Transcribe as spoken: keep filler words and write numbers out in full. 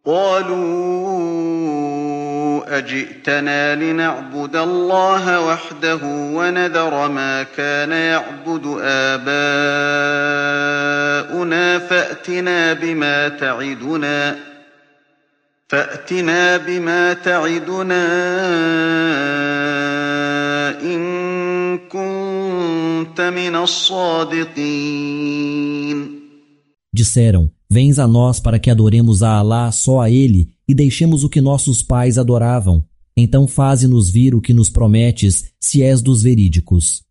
قالوا أجئتنا لنعبد الله وحده ونذر ما كان يعبد آباؤنا فأتنا بما تعدنا فأتنا بما تعدنا إن كنت من الصادقين. Disseram: Vens a nós para que adoremos a Alá só a Ele e deixemos o que nossos pais adoravam. Então faze-nos vir o que nos prometes, se és dos verídicos.